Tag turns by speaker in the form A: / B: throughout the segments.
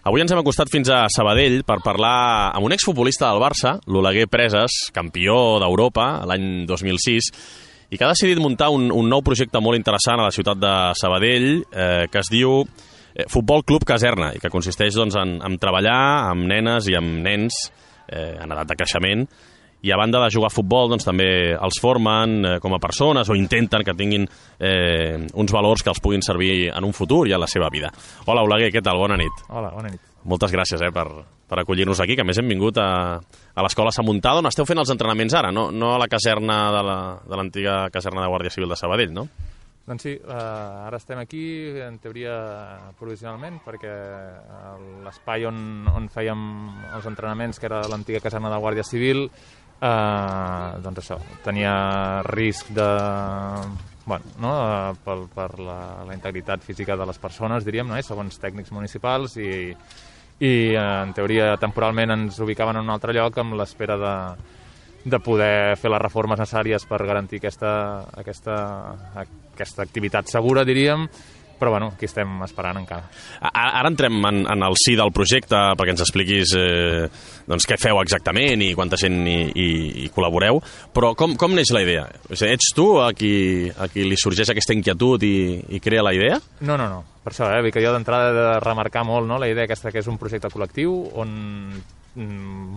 A: Avui ens hem acostat fins a Sabadell per parlar amb un exfutbolista del Barça, l'Oleguer Presas, campió d'Europa l'any 2006, i que ha decidit muntar un nou projecte molt interessant a la ciutat de Sabadell, que es diu Futbol Club Caserna, i que consisteix en treballar amb nenes i amb nens en edat de creixement, i a banda de jugar a futbol també els formen com a persones o intenten que tinguin uns valors que els puguin servir en un futur i a la seva vida. Hola, Oleguer, què tal? Bona nit.
B: Hola, bona nit.
A: Moltes gràcies per acollir-nos aquí, que a més hem vingut a l'escola Samuntada, on esteu fent els entrenaments ara, no a la caserna de l'antiga caserna de Guàrdia Civil de Sabadell, no?
B: Doncs sí, ara estem aquí, en teoria provisionalment, perquè l'espai on fèiem els entrenaments, que era l'antiga caserna de Guàrdia Civil, doncs això, tenia risc de... per la integritat física de les persones, diríem, segons tècnics municipals, i en teoria temporalment ens ubicaven en un altre lloc amb l'espera de poder fer les reformes necessàries per garantir aquesta activitat segura, diríem, però bueno, aquí estem esperant encara.
A: Ara entrem en el si del projecte perquè ens expliquis què feu exactament i quanta gent hi col·laboreu, però com neix la idea? Ets tu a qui li sorgeix aquesta inquietud i crea la idea?
B: No. Per això, vull que jo d'entrada he de remarcar molt la idea aquesta que és un projecte col·lectiu on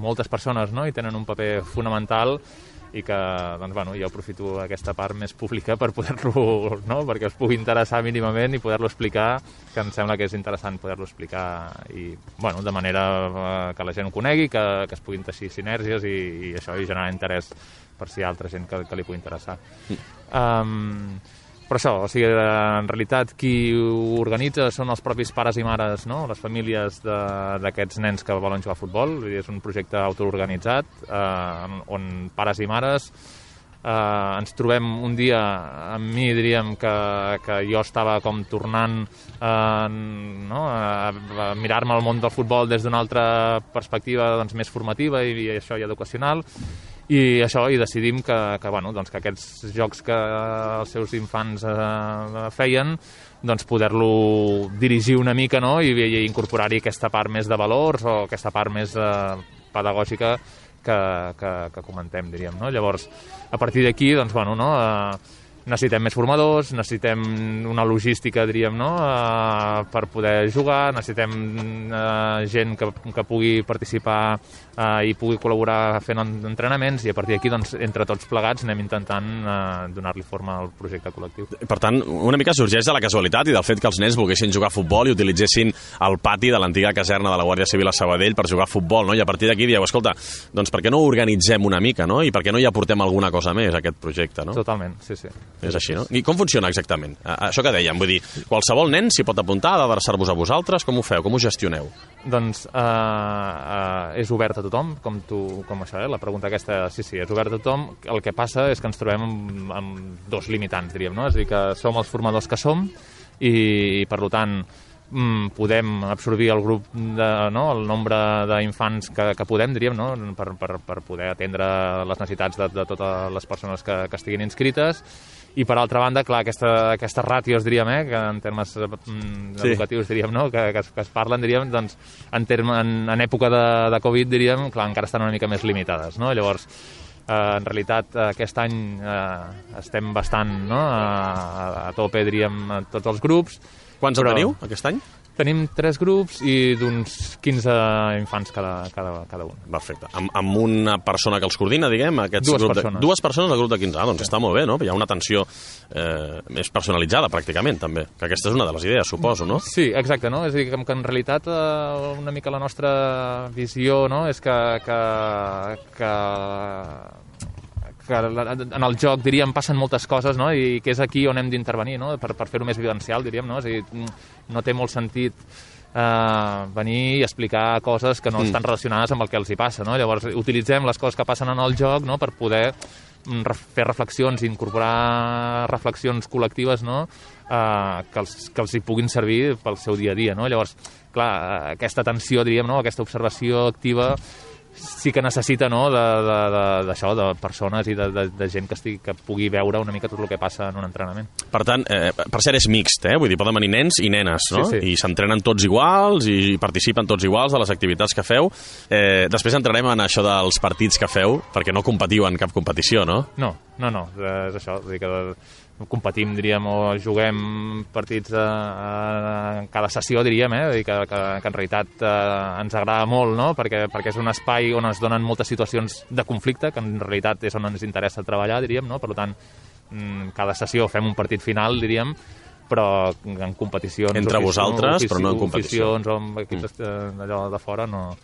B: moltes persones hi tenen un paper fonamental i que jo aprofito aquesta part més pública per poder-lo, perquè us pugui interessar mínimament i poder-lo explicar, que em sembla que és interessant poder-lo explicar i, de manera que la gent ho conegui, que es puguin teixir sinergies i això, i generar interès per si hi ha altra gent que li pugui interessar. Però això, en realitat qui ho organitza són els propis pares i mares, les famílies d'aquests nens que volen jugar a futbol. És un projecte autoorganitzat on pares i mares ens trobem un dia, amb mi diríem que jo estava com tornant a mirar-me el món del futbol des d'una altra perspectiva més formativa i educacional. I decidim que aquests jocs que els seus infants feien, poder-lo dirigir una mica i incorporar-hi aquesta part més de valors o aquesta part més pedagògica que comentem, diríem. Llavors, a partir d'aquí, necessitem més formadors, necessitem una logística, diríem, per poder jugar, necessitem gent que pugui participar i pugui col·laborar fent entrenaments i a partir d'aquí, entre tots plegats, anem intentant donar-li forma al projecte col·lectiu.
A: Per tant, una mica sorgeix de la casualitat i del fet que els nens volguessin jugar a futbol i utilitzessin el pati de l'antiga caserna de la Guàrdia Civil a Sabadell per jugar a futbol, I a partir d'aquí dieu, escolta, per què no ho organitzem una mica, I per què no hi aportem alguna cosa més a aquest projecte,
B: Totalment, sí.
A: És així, no? I com funciona exactament? Això que dèiem, vull dir, qualsevol nen s'hi pot apuntar, ha d'adreçar-vos a vosaltres, com ho feu, com ho gestioneu?
B: Doncs és obert a tothom, com això, la pregunta aquesta, sí, és obert a tothom. El que passa és que ens trobem amb dos limitants, diríem, És a dir, que som els formadors que som i, per tant, podem absorbir el grup, el nombre d'infants que podem, diríem, per poder atendre les necessitats de totes les persones que estiguin inscrites. I, per altra banda, clar, aquestes ràtios, diríem, que en termes educatius, diríem, que es parlen, diríem, en època de Covid, diríem, clar, encara estan una mica més limitades, Llavors, en realitat, aquest any estem bastant a tope, diríem, a tots els grups.
A: Quants en teniu, aquest any?
B: Tenim 3 grups i d'uns 15 infants cada un.
A: Perfecte. Amb una persona que els coordina, diguem? Dues persones del grup de 15. Doncs està molt bé, no? Hi ha una atenció més personalitzada, pràcticament, també. Que aquesta és una de les idees, suposo, no?
B: Sí, exacte, no? És a dir, que en realitat una mica la nostra visió és que en el joc, diríem, passen moltes coses, i que és aquí on hem d'intervenir, per fer-ho més vivencial, diríem, És a dir, no té molt sentit venir i explicar coses que no estan relacionades amb el que els hi passa, Llavors, utilitzem les coses que passen en el joc, per poder fer reflexions, incorporar reflexions col·lectives, que els hi puguin servir pel seu dia a dia, Llavors, clar, aquesta atenció, diríem, aquesta observació activa sí que necessita, no?, d'això, de persones i de gent que pugui veure una mica tot el que passa en un entrenament.
A: Per tant, per cert, és mixt, vull dir, poden venir nens i nenes, no?
B: Sí.
A: I s'entrenen tots iguals i participen tots iguals de les activitats que feu. Després entrarem en això dels partits que feu, perquè no competiu en cap competició, no?
B: No, és això, vull dir que competim, diríem, o juguem partits en cada sessió, diríem, vull dir que en realitat ens agrada molt, no?, perquè és un espai on es donen moltes situacions de conflicte, que en realitat és on ens interessa treballar, diríem, no?, per tant, cada sessió fem un partit final, diríem, però en competicions...
A: Entre vosaltres, però no en competició.
B: Oficions o amb equips d'allò de fora no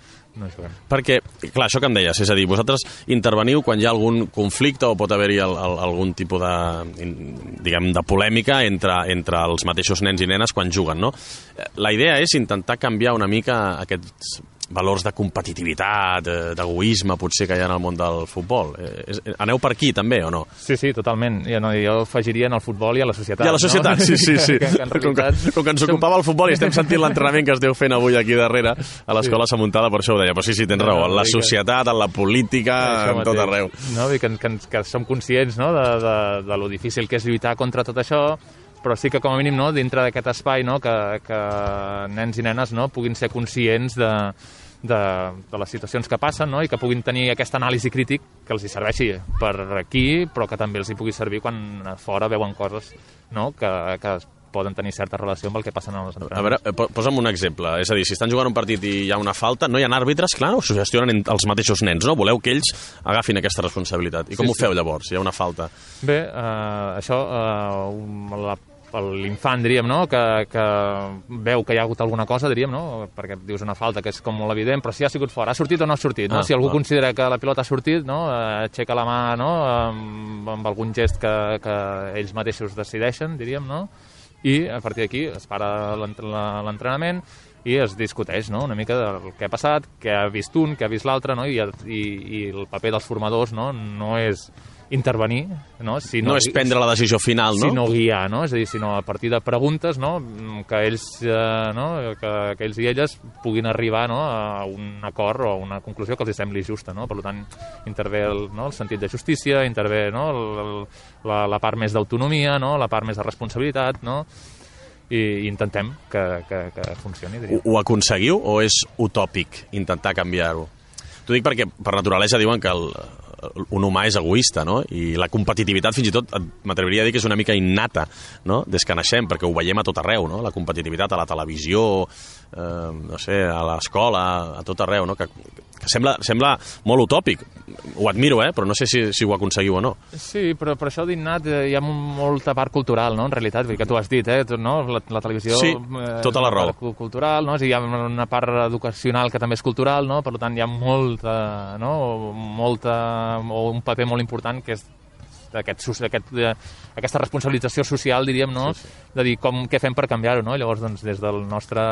B: juguem.
A: Perquè, clar, això que em deies, és a dir, vosaltres interveniu quan hi ha algun conflicte o pot haver-hi algun tipus de polèmica entre els mateixos nens i nenes quan juguen, no? La idea és intentar canviar una mica aquests valors de competitivitat, d'egoisme, potser, que hi ha en el món del futbol. Aneu per aquí, també, o no?
B: Sí, totalment. Jo afegiria en el futbol i a la societat.
A: I a la societat, no? Sí.
B: Que en realitat...
A: Com que ens ocupava el futbol i estem sentint l'entrenament que esteu fent avui aquí darrere a l'Escola Samuntada, per això ho deia. Però sí, tens raó, en la societat, en la política, en tot arreu.
B: No, que som conscients, no?, de lo difícil que és lluitar contra tot això, però sí que com a mínim, no?, dintre d'aquest espai, no?, que nens i nenes, no?, puguin ser conscients de les situacions que passen, no?, i que puguin tenir aquesta anàlisi crític que els hi serveixi per aquí, però que també els hi pugui servir quan a fora veuen coses, no?, que poden tenir certa relació amb el que passa en els entrenaments.
A: A veure, posa'm un exemple. És a dir, si estan jugant un partit i hi ha una falta, no hi ha àrbitres, clar, ho gestionen els mateixos nens, no? Voleu que ells agafin aquesta responsabilitat. I com ho feu llavors, si hi ha una falta?
B: Bé, això, l'infant, diríem, no?, que veu que hi ha hagut alguna cosa, diríem, no?, perquè dius una falta que és com molt evident, però si ha sigut fora, ha sortit o no ha sortit, no? Si algú considera que la pilota ha sortit, no?, aixeca la mà, no?, amb algun gest que ells mateixos decideixen, diríem, no?, i a partir d'aquí es para l'entrenament i es discuteix, no?, una mica del que ha passat, què ha vist un, què ha vist l'altre, no?, i el paper dels formadors, no és intervenir, no?
A: No és prendre la decisió final, no?
B: Sinó guiar, no? És a dir, sinó a partir de preguntes, no?, que ells, que ells i elles puguin arribar, no?, a un acord o a una conclusió que els sembli justa, no? Per tant, intervé el sentit de justícia, intervé, no?, la part més d'autonomia, no?, la part més de responsabilitat, no?, i intentem que funcioni, diria.
A: Ho aconseguiu o és utòpic intentar canviar-ho? T'ho dic perquè per naturalesa diuen que un humà és egoista, no? I la competitivitat fins i tot m'atreviria a dir que és una mica innata, no?, des que naixem, perquè ho veiem a tot arreu, no?, la competitivitat a la televisió, no sé, a l'escola, a tot arreu, no?, que sembla molt utòpic. Ho admiro, però no sé si ho aconseguiu o no.
B: Sí, però per això d'innat hi ha molta part cultural, no?, en realitat, que tu has dit, no?, la televisió...
A: Sí, tota la raó.
B: Cultural, no?, hi ha una part educacional que també és cultural, no?, per tant hi ha molta, o un paper molt important que és aquesta responsabilització social, diríem, no?, de dir què fem per canviar-ho, no? Llavors, doncs, des del nostre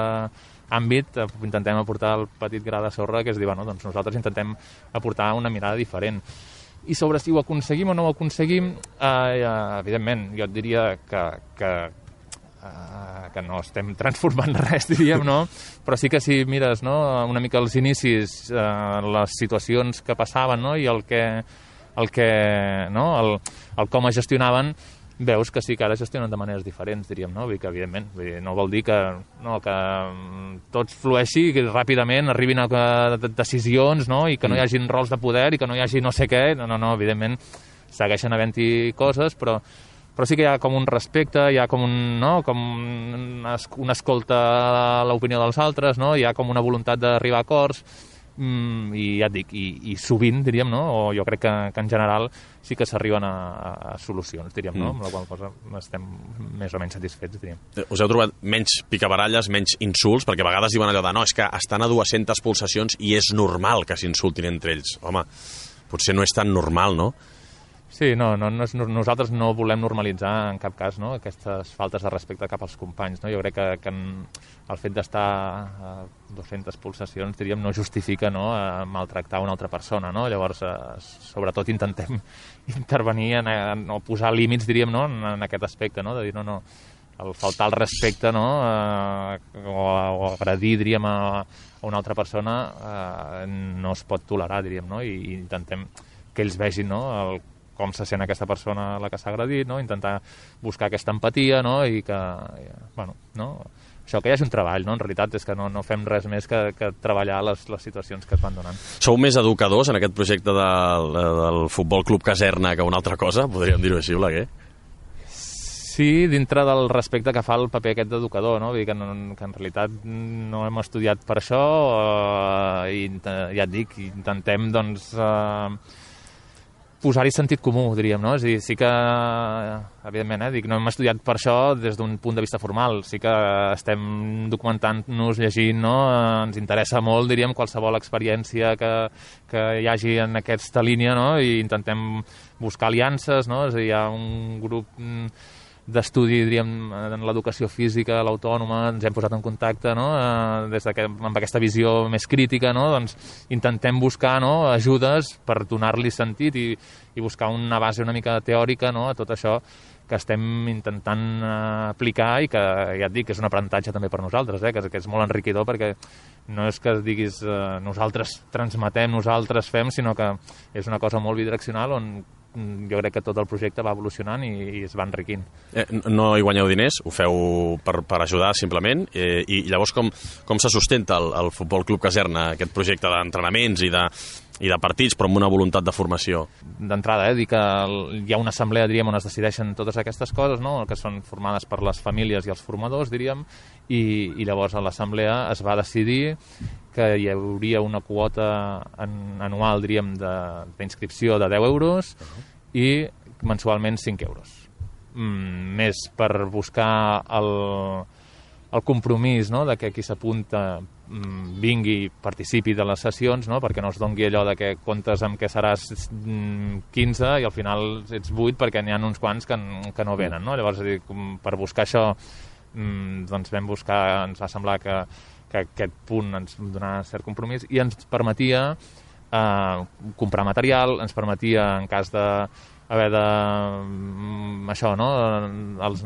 B: àmbit intentem aportar el petit gra de sorra, que és dir, bueno, doncs nosaltres intentem aportar una mirada diferent. I sobre si ho aconseguim o no ho aconseguim, evidentment, jo et diria que no estem transformant res, diríem, no? Però sí que si mires, no?, una mica els inicis, les situacions que passaven, no?, i el com es gestionaven, veus que sí que ara gestionen de maneres diferents, diríem, no? Vull dir que, evidentment, no vol dir que tot flueixi, que ràpidament arribin a decisions, no?, i que no hi hagin rols de poder i que no hi hagi no sé què. No, evidentment, segueixen havent-hi coses, però sí que hi ha com un respecte, hi ha com una escolta a l'opinió dels altres, no?, hi ha com una voluntat d'arribar a acords, i ja et dic, i sovint, diríem, no?, o jo crec que en general sí que s'arriben a solucions, diríem, no?, amb la qual cosa estem més o menys satisfets, diríem.
A: Us heu trobat menys picabaralles, menys insults, perquè a vegades diuen allò de no, és que estan a 200 pulsacions i és normal que s'insultin entre ells. Home, potser no és tan normal, no?
B: Sí, nosaltres no volem normalitzar en cap cas, no?, aquestes faltes de respecte cap als companys, no? Jo crec que el fet d'estar a 200 pulsacions, diríem, no justifica, no?, maltractar una altra persona, no? Llavors, sobretot intentem intervenir o posar límits, diríem, no?, en aquest aspecte, no?, de dir, no, el faltar el respecte, no? O agredir, diríem, a una altra persona no es pot tolerar, diríem, no? I intentem que ells vegin, no?, com se sent aquesta persona a la que s'ha agredit, no? Intentar buscar aquesta empatia, no? I que, bueno, no? Això, que hi hagi un treball, no? En realitat és que no fem res més que treballar les situacions que es van donant.
A: Sou més educadors en aquest projecte del Futbol Club Caserna que una altra cosa? Podríem dir-ho així, Oleguer?
B: Sí, dintre del respecte que fa el paper aquest d'educador, no? Vull dir que en realitat no hem estudiat per això i ja et dic, intentem, doncs, posar-hi sentit comú, diríem, no? És a dir, sí que, evidentment, dic, no hem estudiat per això des d'un punt de vista formal, sí que estem documentant-nos, llegint, no? Ens interessa molt, diríem, qualsevol experiència que hi hagi en aquesta línia, no? I intentem buscar aliances, no? És a dir, hi ha un grup d'estudi, diríem, en l'educació física, l'autònoma, ens hem posat en contacte, no? Amb aquesta visió més crítica, no? Doncs intentem buscar, no?, ajudes per donar-li sentit i buscar una base una mica teòrica, no?, a tot això que estem intentant aplicar i que, ja et dic, és un aprenentatge també per nosaltres, que és molt enriquidor, perquè no és que diguis nosaltres transmetem, nosaltres fem, sinó que és una cosa molt bidireccional on jo crec que tot el projecte va evolucionant i es va enriquint.
A: No hi guanyeu diners, ho feu per ajudar simplement, i llavors com se sustenta el Futbol Club Caserna, aquest projecte d'entrenaments i de partits, però amb una voluntat de formació?
B: D'entrada, dir que hi ha una assemblea, diríem, on es decideixen totes aquestes coses, no?, que són formades per les famílies i els formadors, diríem, i llavors a l'assemblea es va decidir que hi hauria una quota anual, diríem, d'inscripció de 10 euros i mensualment 5 euros. Més per buscar el compromís, no?, de que qui s'apunta vingui i participi de les sessions, no?, perquè no es doni allò de que comptes amb que seràs 15 i al final ets 8 perquè n'hi ha uns quants que no venen, no? Llavors, per buscar això, doncs vam buscar, ens va semblar que aquest punt ens donava cert compromís i ens permetia comprar material, ens permetia, en cas de haver de això, no?, els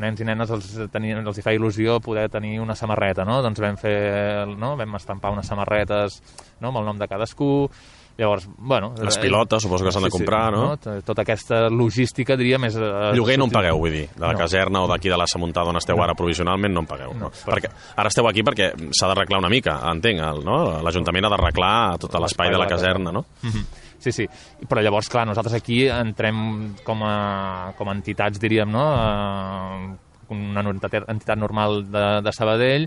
B: nens i nenes els hi feia il·lusió poder tenir una samarreta, no? Doncs vam estampar unes samarretes, no?, amb el nom de cadascú. Llavors, bueno...
A: Les pilotes, suposo que s'han de comprar, no?
B: Tota aquesta logística, diríem, és...
A: Lloguer no en pagueu, vull dir, de la caserna o d'aquí de la Samuntada on esteu ara provisionalment, no en pagueu. No. Perquè ara esteu aquí perquè s'ha d'arreglar una mica, entenc, no? L'Ajuntament ha d'arreglar tot l'espai de la caserna, no?
B: Sí, però llavors, clar, nosaltres aquí entrem com a entitats, diríem, no?, una entitat normal de Sabadell,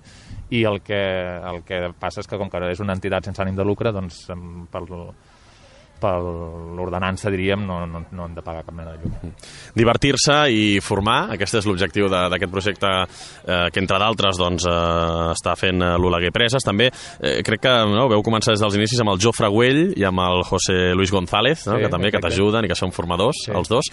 B: i el que passa és que, com que és una entitat sense ànim de lucre, doncs per l'ordenança, diríem, no hem de pagar cap mena de llum.
A: Divertir-se i formar, aquest és l'objectiu d'aquest projecte que, entre d'altres, doncs, està fent l'Oleguer Preses. També crec que veu començar des dels inicis amb el Jofre Güell i amb el José Luis González, que també t'ajuden i que són formadors, els dos.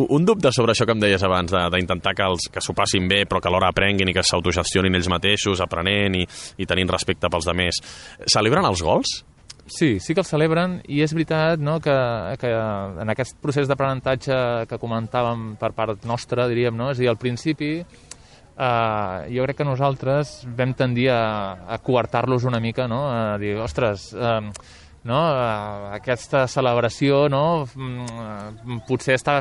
A: Un dubte sobre això que em deies abans, d'intentar que s'ho passin bé, però que alhora aprenguin i que s'autogestionin ells mateixos, aprenent i tenint respecte pels altres. Celebren els gols?
B: Sí que els celebren, i és veritat, no?, que en aquest procés d'aprenentatge que comentàvem per part nostra, diríem, no?, és a dir, al principi jo crec que nosaltres vam tendir a coartar-los una mica, no?, a dir, ostres, no?, aquesta celebració, no?, potser està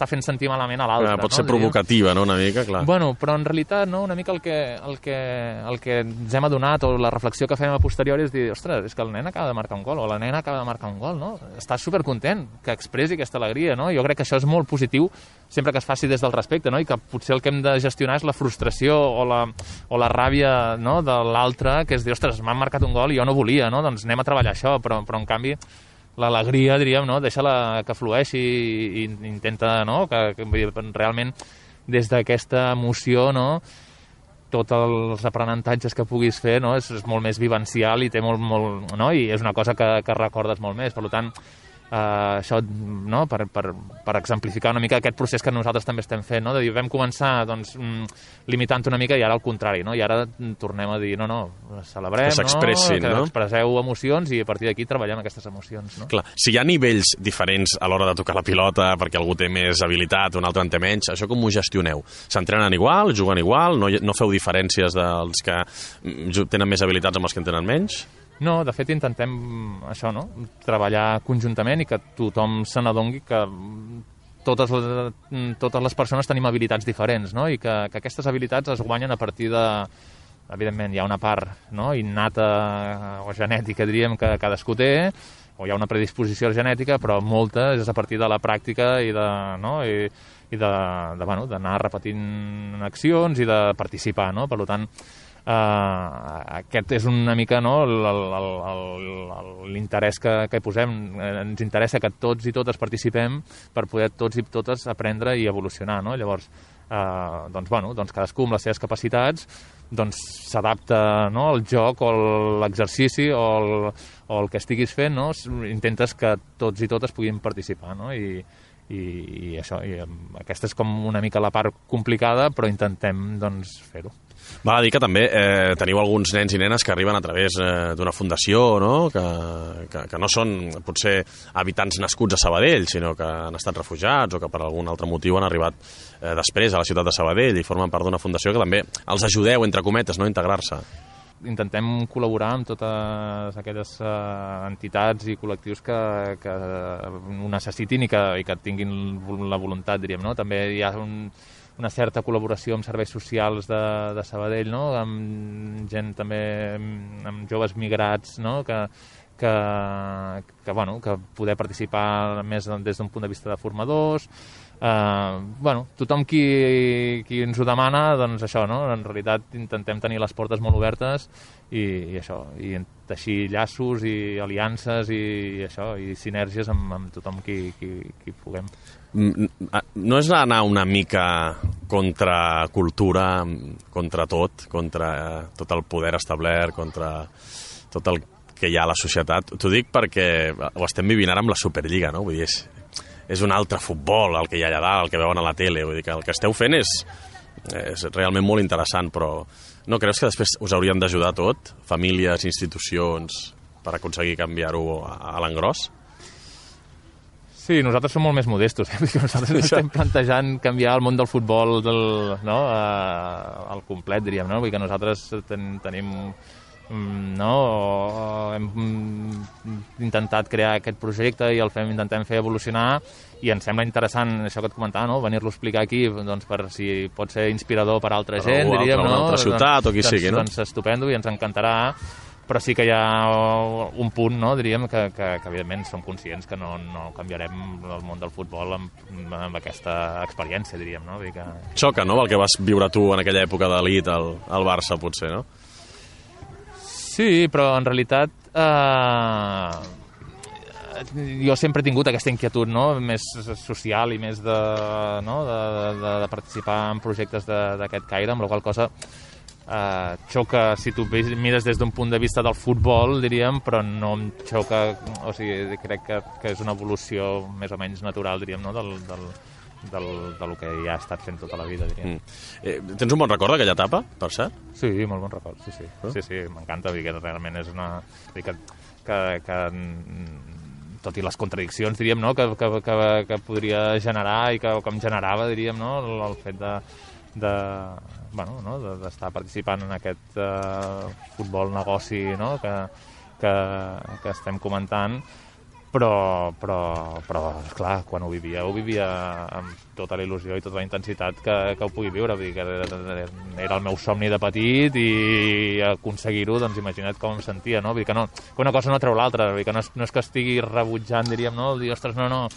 B: fent sentir malament a l'altre.
A: Pot ser provocativa, no?, una mica, clar.
B: Bueno, però en realitat, no?, una mica el que ens hem adonat, o la reflexió que fem a posteriori, és dir, ostres, és que el nen acaba de marcar un gol, o la nena acaba de marcar un gol, no? Estàs supercontent que expressi aquesta alegria, no? Jo crec que això és molt positiu, sempre que es faci des del respecte, no?, i que potser el que hem de gestionar és la frustració o la ràbia, no?, de l'altre, que és dir, ostres, m'han marcat un gol i jo no volia, no?, doncs anem a treballar això, però en canvi l'alegria, diríem, no?, deixa-la que flueixi i intenta, no?, que realment des d'aquesta emoció, no?, tots els aprenentatges que puguis fer, no?, és molt més vivencial i té molt, no?, i és una cosa que recordes molt més. Per tant, això, no? per exemplificar una mica aquest procés que nosaltres també estem fent, no? De dir, vam començar doncs, limitant una mica i ara al contrari, no? I ara tornem a dir, no, celebrem,
A: que s'expressin,
B: que
A: no?
B: expresseu emocions i a partir d'aquí treballem aquestes emocions. No?
A: Clar, si hi ha nivells diferents a l'hora de tocar la pilota perquè algú té més habilitat, un altre en té menys, això com ho gestioneu? S'entrenen igual, juguen igual, no feu diferències dels que tenen més habilitats amb els que en tenen menys?
B: No, de fet intentem això, no? Treballar conjuntament i que tothom se n'adongui que totes les persones tenim habilitats diferents, no? I que aquestes habilitats es guanyen a partir de... Evidentment, hi ha una part, no? Innata o genètica, diríem, que cadascú té, o hi ha una predisposició genètica, però molta és a partir de la pràctica i d'anar repetint accions i de participar, no? Per tant, aquest és una mica, no, l'interès que posem. Ens interessa que tots i totes participem per poder tots i totes aprendre i evolucionar, no? Llavors, doncs cadascú amb les seves capacitats s'adapta, no, al joc o l'exercici o el que estiguis fent, no? Intentes que tots i totes puguin participar, no? I això, aquesta és com una mica la part complicada, però intentem doncs fer-ho.
A: Val a dir que també teniu alguns nens i nenes que arriben a través d'una fundació, no? Que no són potser habitants nascuts a Sabadell, sinó que han estat refugiats o que per algun altre motiu han arribat després a la ciutat de Sabadell i formen part d'una fundació que també els ajudeu, entre cometes, no, a integrar-se.
B: Intentem col·laborar amb totes aquelles entitats i col·lectius que ho necessitin i que tinguin la voluntat, diríem, no? També hi ha una certa col·laboració amb serveis socials de Sabadell, no? Amb gent també, amb joves migrats, no? Que poder participar més des d'un punt de vista de formadors. Tothom qui ens ho demana, doncs això, no? En realitat intentem tenir les portes molt obertes i això, i teixir llaços i aliances i això, i sinergies amb tothom qui puguem.
A: No és anar una mica contra cultura, contra tot el poder establert, contra tot el que hi ha a la societat? T'ho dic perquè ho estem vivint ara amb la Superliga, no? Vull dir, és un altre futbol el que hi ha allà dalt, el que veuen a la tele. Vull dir que el que esteu fent és realment molt interessant, però no creus que després us haurien d'ajudar tot? Famílies, institucions, per aconseguir canviar-ho a l'engròs?
B: Sí, nosaltres som molt més modestos. Nosaltres estem plantejant canviar el món del futbol al complet, diríem, no? Vull dir que nosaltres tenim... hem intentat crear aquest projecte i intentem fer evolucionar i ens sembla interessant això que et comentava, no? Venir-lo a explicar aquí doncs, per si pot ser inspirador per a altra gent, diríem, no?
A: Una altra ciutat o qui sigui, no?
B: Doncs estupendo i ens encantarà, però sí que hi ha un punt, no? Diríem que evidentment som conscients que no canviarem el món del futbol amb aquesta experiència, diríem, no? Vull dir que...
A: Xoca, no?, el que vas viure tu en aquella època d'elit al Barça, potser, no?
B: Sí, però en realitat jo sempre he tingut aquesta inquietud, no? Més social i més de participar en projectes d'aquest caire, amb la qual cosa xoca si tu mires des d'un punt de vista del futbol, diríem, però no em xoca, o sigui, crec que és una evolució més o menys natural, diríem, no? del que ja ha estat fent tota la vida, diríem.
A: Tens un bon record d'aquella etapa, per cert?
B: Sí, molt bon record, sí. Sí, m'encanta, vull dir que realment és una... que tot i les contradiccions, diríem, no? que podria generar i que em generava, diríem, no? El fet d'estar participant en aquest futbol negoci, no? que estem comentant, però esclar, quan ho vivia amb tota la il·lusió i tota la intensitat que ho pugui viure. Vull dir que era el meu somni de petit i aconseguir-ho, doncs imagina't com em sentia, no? Vull dir que una cosa no treu l'altra, vull dir que no és que estigui rebutjant, diríem, no? Dir, ostres, no,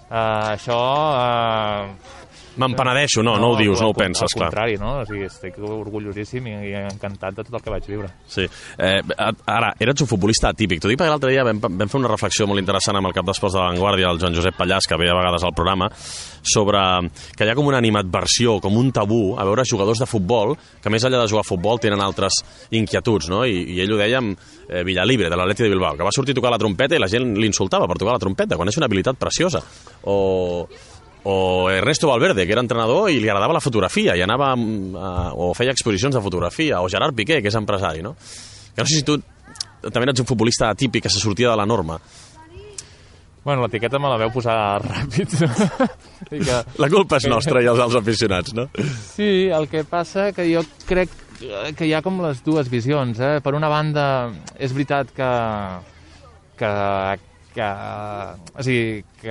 B: això
A: Me'n penedeixo, no ho dius, no ho penses, clar.
B: Al contrari, no? O sigui, estic orgullosíssim i encantat de tot el que vaig viure.
A: Sí. Ara, eres un futbolista atípic. T'ho dic perquè l'altre dia vam fer una reflexió molt interessant amb el cap d'esports de La Vanguardia, el Joan Josep Pallàs, que ve a vegades al programa, sobre que hi ha com una animadversió, com un tabú, a veure jugadors de futbol que més enllà de jugar a futbol tenen altres inquietuds, no? I ell ho deia amb Villalibre, de l'Atleti de Bilbao, que va sortir a tocar la trompeta i la gent l'insultava per tocar la trompeta, quan és una habilitat preciosa. O Ernesto Valverde, que era entrenador i li agradava la fotografia i anava o feia exposicions de fotografia, o Gerard Piqué, que és empresari, no? Que no sé si tu també ets un futbolista atípic que se sortia de la norma.
B: Bueno, l'etiqueta me la veu posar ràpid.
A: La culpa és nostra i els aficionats, no?
B: Sí, el que passa que jo crec que hi ha com les dues visions. Per una banda, és veritat que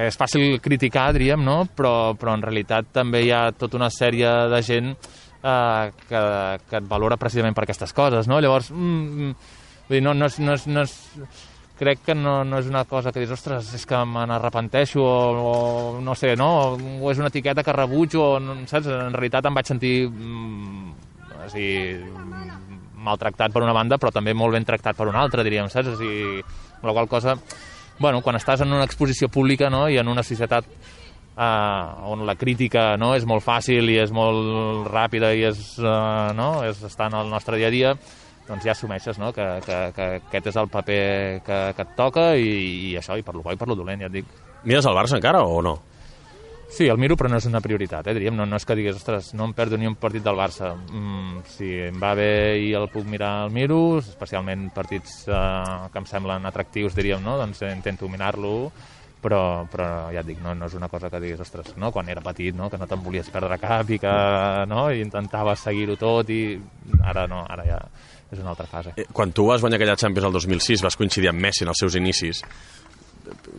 B: és fàcil criticar, diríem, no? Però en realitat també hi ha tota una sèrie de gent que et valora precisament per aquestes coses, no? Llavors, crec que no és una cosa que dius, ostres, és que me n'arrepenteixo o no sé, no? O és una etiqueta que rebutjo, saps? En realitat em vaig sentir maltractat per una banda, però també molt ben tractat per una altra, diríem, saps? La qual cosa, bueno, quan estàs en una exposició pública, no?, i en una societat on la crítica, no?, és molt fàcil i és molt ràpida i està en el nostre dia a dia, doncs ja assumeixes, no?, que aquest és el paper que et toca i això, i per lo bo i per lo dolent, ja et dic.
A: Mires el Barça encara o no?
B: Sí, el miro, però no és una prioritat, diríem. No és que digues, ostres, no em perdo ni un partit del Barça. Si em va bé i el puc mirar, el miro, especialment partits que em semblen atractius, diríem, no? Doncs intento mirar-lo, però ja et dic, no és una cosa que digues, ostres, no? Quan era petit, no? Que no te'n volies perdre cap i que i intentaves seguir-ho tot i ara no, ara ja és una altra fase.
A: Quan tu vas guanyar aquella Champions el 2006, vas coincidir amb Messi en els seus inicis.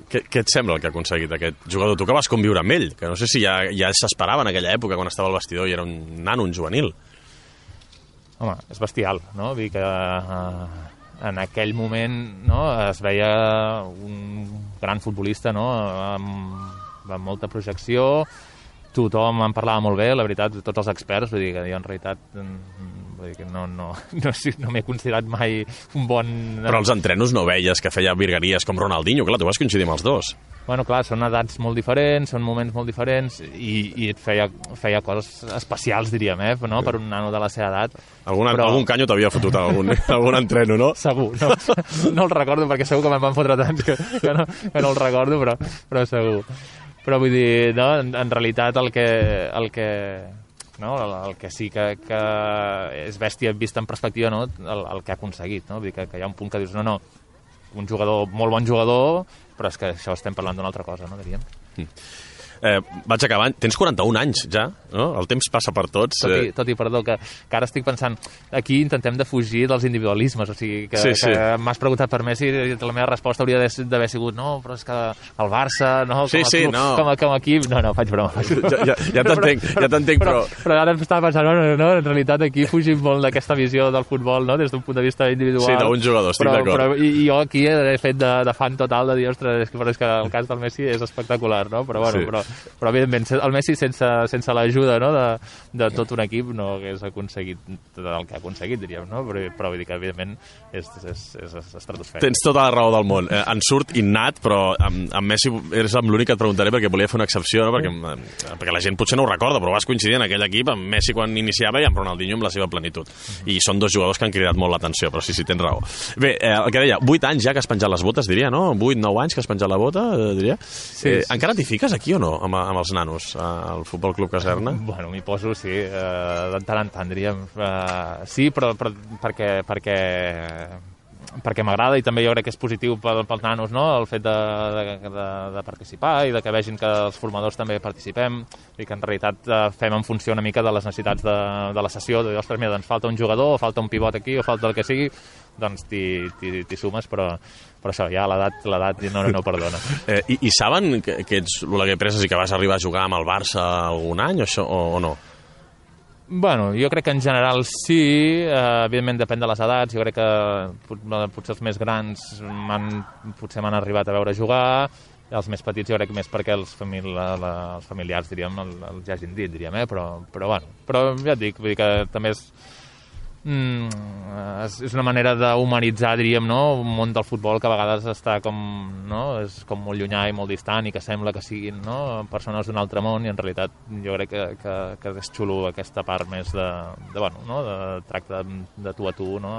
A: Què et sembla el que ha aconseguit aquest jugador? Tu que vas conviure amb ell, que no sé si ja s'esperava en aquella època quan estava al vestidor i era un nano, un juvenil.
B: Home, és bestial, no? Vull dir que en aquell moment, no, es veia un gran futbolista, no?, amb molta projecció, tothom en parlava molt bé, la veritat, tots els experts, vull dir que jo en realitat no m'he considerat mai un bon...
A: Però als entrenos no veies que feia virgueries com Ronaldinho, clar, tu vas coincidir amb els dos.
B: Bueno, clar, són edats molt diferents, són moments molt diferents i et feia coses especials, diríem, no?, per un nano de la seva edat.
A: Algun canyo t'havia fotut algun entreno, no?
B: Segur, no el recordo, perquè segur que me'n van fotre tants que no el recordo, però segur. Però vull dir, no, en realitat el que sí que és bèstia vist en perspectiva, no?, el que ha aconseguit, no? Vull dir que hi ha un punt que dius, no, un jugador, molt bon jugador, però és que això estem parlant d'una altra cosa, no, diríem.
A: Vaig acabant. Tens 41 anys, ja, no? El temps passa per tots.
B: Tot i, perdó, que ara estic pensant, aquí intentem de fugir dels individualismes, o sigui, que m'has preguntat per Messi i la meva resposta hauria d'haver sigut, no, però és que el Barça, no, com a equip... No, faig broma.
A: Ja t'entenc, però...
B: Però ara em estava pensant, no, en realitat aquí fugim molt d'aquesta visió del futbol, no?, des d'un punt de vista individual.
A: Sí, d'un jugador, estic d'acord.
B: I jo aquí he fet de fan total de dir, ostres, però és que el cas del Messi és espectacular, no? Però bueno, però evidentment el Messi sense l'ajuda, no?, de tot un equip no hagués aconseguit el que ha aconseguit, diríem, no? Però vull dir que evidentment és estratosfèric.
A: Tens tota la raó del món. En surt innat, però amb Messi és l'únic que et preguntaré perquè volia fer una excepció, no? Perquè la gent potser no ho recorda, però vas coincidir en aquell equip amb Messi quan iniciava i amb Ronaldinho amb la seva plenitud. I són dos jugadors que han cridat molt l'atenció, però sí, tens raó. Bé, el que deia, 8 anys ja que has penjat les botes, diria, no? 8-9 anys que has penjat la bota, diria. Sí. Encara t'hi fiques aquí o no, amb els nanos, al Futbol Club Caserna?
B: Bueno, m'hi poso, sí, de tant en tant, diríem. Sí, però perquè m'agrada i també jo crec que és positiu pels nanos, no?, el fet de participar i de que vegin que els formadors també participem i que en realitat fem en funció una mica de les necessitats de la sessió, de dir, ostres, mira, doncs falta un jugador, o falta un pivot aquí, o falta el que sigui, doncs t'hi sumes, però això, ja l'edat no perdona.
A: I saben que ets l'Oleguer Presas i que vas arribar a jugar amb el Barça algun any o no?
B: Bueno, jo crec que en general sí, evidentment depèn de les edats, jo crec que potser els més grans potser m'han arribat a veure jugar, Els més petits jo crec més perquè els familiars, diríem, els hagin dit, diríem, però bueno. Però ja et dic, vull dir que també és una manera d'humanitzar, diríem, no? Un món del futbol que a vegades està com, no? És com molt llunyà i molt distant i que sembla que siguin, no? Persones d'un altre món, i en realitat jo crec que és xulo aquesta part més bueno, no? De tracte de tu a tu, no?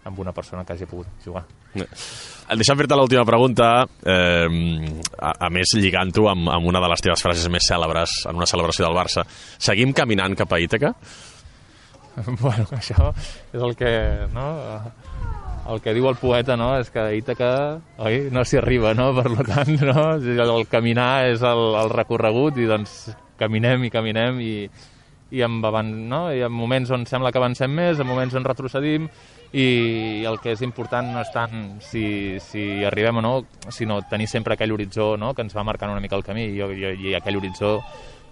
B: Amb una persona que hagi pogut jugar.
A: Deixa'm fer-te l'última pregunta, a més lligant-ho amb una de les teves frases més cèlebres en una celebració del Barça. Seguim caminant cap a Ítaca?
B: Bueno, això és el que, no? El que diu el poeta, no? És que a Ítaca, oi, no s'hi arriba, no? Per tant, no? El caminar és el recorregut, i doncs caminem i no? I en moments on sembla que avancem més, en moments on retrocedim, i el que és important no és tant si arribem o no, sinó tenir sempre aquell horitzó, no? Que ens va marcant una mica el camí, i aquell horitzó,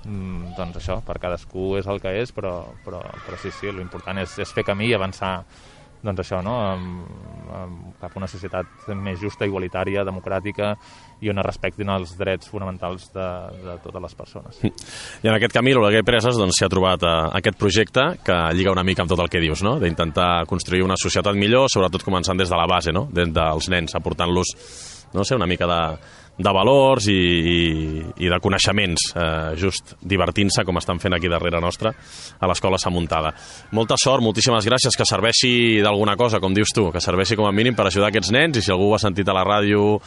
B: doncs això, per cadascú és el que és, però sí, l'important és fer camí i avançar, doncs això, no? Cap a una societat més justa, igualitària, democràtica, i on es respectin els drets fonamentals de totes les persones.
A: I en aquest camí l'Oleguer Presas s'hi ha trobat aquest projecte que lliga una mica amb tot el que dius, no? D'intentar construir una societat millor, sobretot començant des de la base, no? Des dels nens, aportant-los, no sé, una mica de valors i de coneixements, just divertint-se com estan fent aquí darrere nostra a l'Escola Sant Muntada. Molta sort, moltíssimes gràcies, que serveixi d'alguna cosa, com dius tu, que serveixi com a mínim per ajudar aquests nens, i si algú ho ha sentit a la ràdio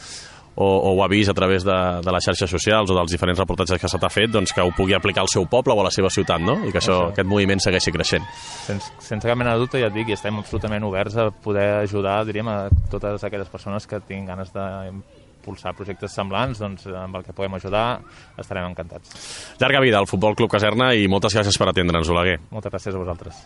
A: o ho ha vist a través de les xarxes socials o dels diferents reportatges que se t'ha fet, doncs que ho pugui aplicar al seu poble o a la seva ciutat, no? I que aquest moviment segueixi creixent.
B: Sense cap mena de dubte, ja et dic, i estem absolutament oberts a poder ajudar, diríem, a totes aquelles persones que tinguin ganes d'impulsar projectes semblants, doncs amb el que podem ajudar estarem encantats.
A: Llarga vida al Futbol Club Caserna, i moltes gràcies per atendre'ns, Oleguer.
B: Moltes gràcies a vosaltres.